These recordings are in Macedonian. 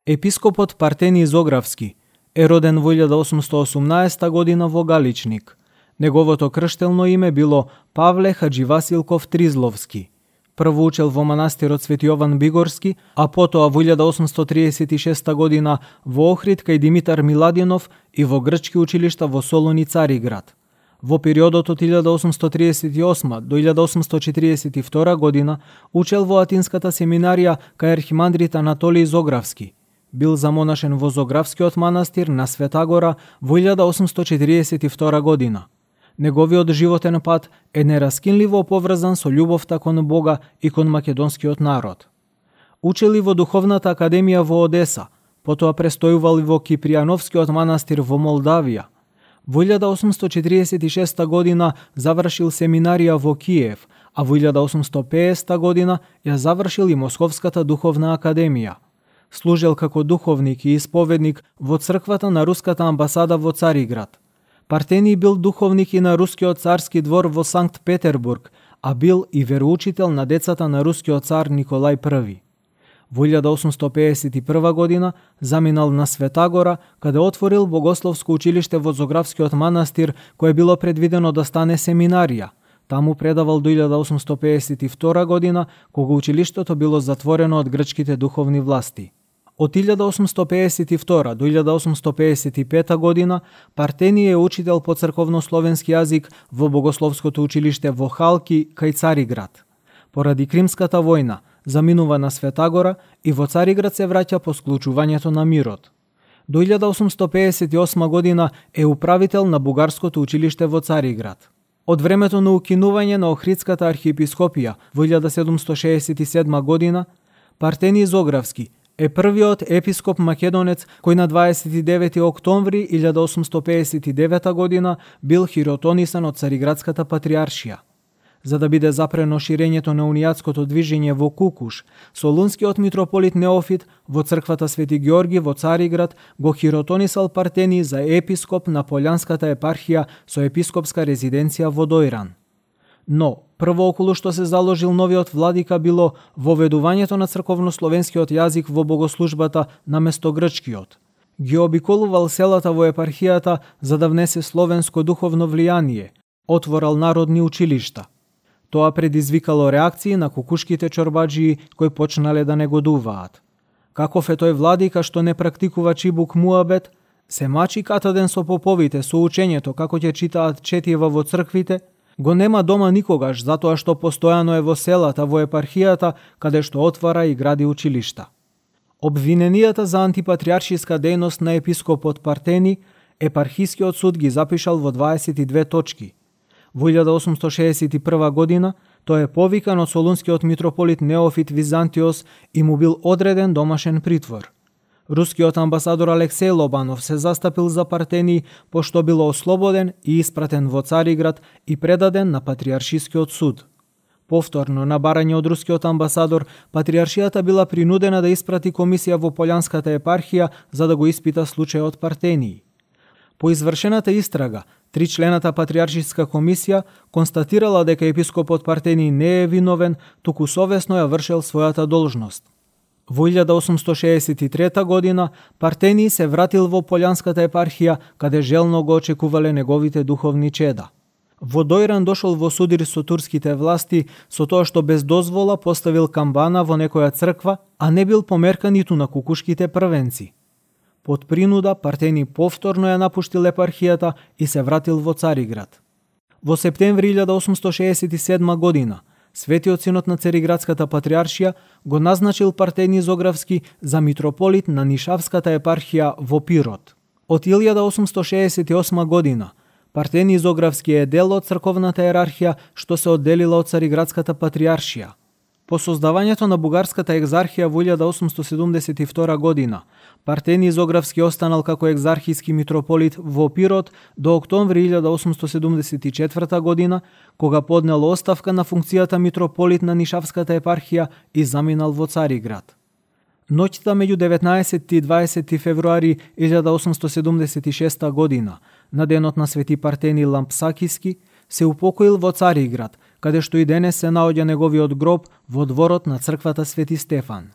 Епископот Партении Зографски е роден во 1818 година во Галичник. Неговото крштелно име било Павле Хадживасилков Тризловски. Прво учел во манастирот Свети Јован Бигорски, а потоа во 1836 година во Охрид кај Димитар Миладинов и во грчки училишта во Солун и Цариград. Во периодот од 1838 до 1842 година учел во Атинската семинарија кај архимандрит Анатолиј Зографски. Бил замонашен во Зографскиот манастир на Света Гора во 1842 година. Неговиот животен пат е нераскинливо поврзан со љубовта кон Бога и кон македонскиот народ. Учел и во Духовната академија во Одеса, потоа престојувал и во Кипријановскиот манастир во Молдавија. Во 1846 година завршил семинарија во Киев, а во 1850 година ја завршил и Московската Духовна академија. Служел како духовник и исповедник во црквата на Руската амбасада во Цариград. Партении бил духовник и на Рускиот царски двор во Санкт Петербург, а бил и вероучител на децата на рускиот цар Николај I. Во 1851 година заминал на Света Гора, каде отворил богословско училиште во Зографскиот манастир, кое било предвидено да стане семинарија. Таму предавал до 1852 година, кога училиштето било затворено од грчките духовни власти. Од 1852 до 1855 година Партении е учител по црковнословенски јазик во богословското училиште во Халки кај Цариград. Поради Кримската војна заминува на Света Гора и во Цариград се враќа по склучувањето на мирот. До 1858 година е управител на бугарското училиште во Цариград. Од времето на укинување на Охридската архиепископија во 1767 година Партении Зографски е првиот епископ македонец кој на 29 октомври 1859 година бил хиротонисан од Цариградската патриаршија. За да биде запрено ширењето на унијатското движење во Кукуш, солунскиот митрополит Неофит во црквата Свети Георги во Цариград го хиротонисал Партении за епископ на Полјанската епархија со епископска резиденција во Дојран. Но, прво околу што се заложил новиот владика било воведувањето на црковнословенскиот јазик во богослужбата наместо грчкиот. Ги обиколувал селата во епархијата за да внесе словенско духовно влијание, отворал народни училишта. Тоа предизвикало реакции на кукушките чорбаджии кои почнале да негодуваат. Каков е тој владика што не практикува чибук муабет, се мачи катаден со поповите со учењето како ќе читаат четива во црквите, го нема дома никогаш затоа што постојано е во селата во епархијата каде што отвара и гради училишта. Обвиненијата за антипатриаршиска дејност на епископот Партении епархискиот суд ги запишал во 22 точки. Во 1861 година тој е повикан од солунскиот митрополит Неофит Византиос и му бил одреден домашен притвор. Рускиот амбасадор Алексеј Лобанов се застапил за Партении пошто бил ослободен и испратен во Цариград и предаден на Патриаршискиот суд. Повторно на барање од рускиот амбасадор, Патриаршијата била принудена да испрати комисија во Полјанската епархија за да го испита случајот Партении. По извршената истрага, тричлената Патриаршиска комисија констатирала дека епископот Партении не е виновен, туку совесно ја вршел својата должност. Во 1863 година Партении се вратил во Полјанската епархија, каде желно го очекувале неговите духовни чеда. Во Дојран дошол во судир со турските власти со тоа што без дозвола поставил камбана во некоја црква, а не бил померкан ниту на кукушките првенци. Под принуда Партении повторно ја напуштил епархијата и се вратил во Цариград. Во септември 1867 година Светиот синод на Цариградската патриаршија го назначил Партении Зографски за митрополит на Нишавската епархија во Пирот. Од 1868 година Партении Зографски е дел од црковната иерархија што се одделила од Цариградската патриаршија. По создавањето на бугарската екзархија во 1872 година, Партении Зографски останал како екзархиски митрополит во Пирот до октомври 1874 година, кога поднел оставка на функцијата митрополит на Нишавската епархија и заминал во Цариград. Ноќта меѓу 19 и 20 февруари 1876 година, на денот на Свети Партении Лампсакиски, се упокоил во Цариград, каде што и денес се наоѓа неговиот гроб во дворот на црквата Свети Стефан.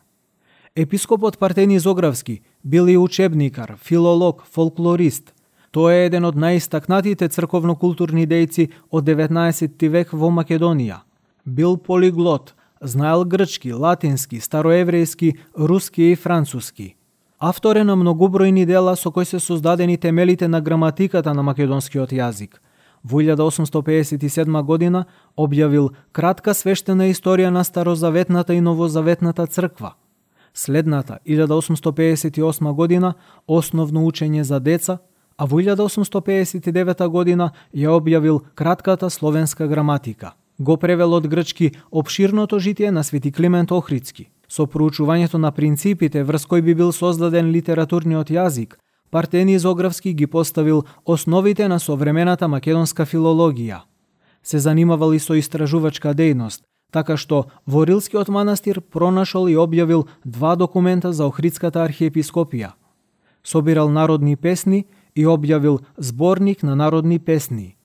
Епископот Партени Зографски бил и учебникар, филолог, фолклорист. Тој е еден од најистакнатите црковно-културни дејци од 19 век во Македонија. Бил полиглот, знаел грчки, латински, староеврејски, руски и француски. Автор е на многобројни дела со кои се создадени темелите на граматиката на македонскиот јазик. Во 1857 година објавил кратка свештена историја на Старозаветната и Новозаветната црква. Следната, 1858 година, основно учење за деца, а во 1859 година ја објавил кратката словенска граматика. Го превел од грчки опширното житие на Свети Климент Охридски. Со проучувањето на принципите врз кои би бил создаден литературниот јазик, Партени Зографски ги поставил основите на современата македонска филологија. Се занимавал и со истражувачка дејност, така што во Рилскиот манастир пронашол и објавил 2 документа за Охридската архиепископија. Собирал народни песни и објавил зборник на народни песни.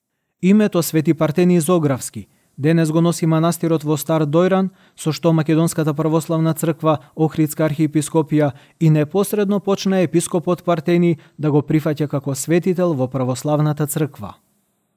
Името Свети Партени Зографски денес го носи манастирот во Стар Дојран, со што Македонската православна црква, Охридска архиепископија и непосредно почна епископот Партени да го прифаќа како светител во православната црква.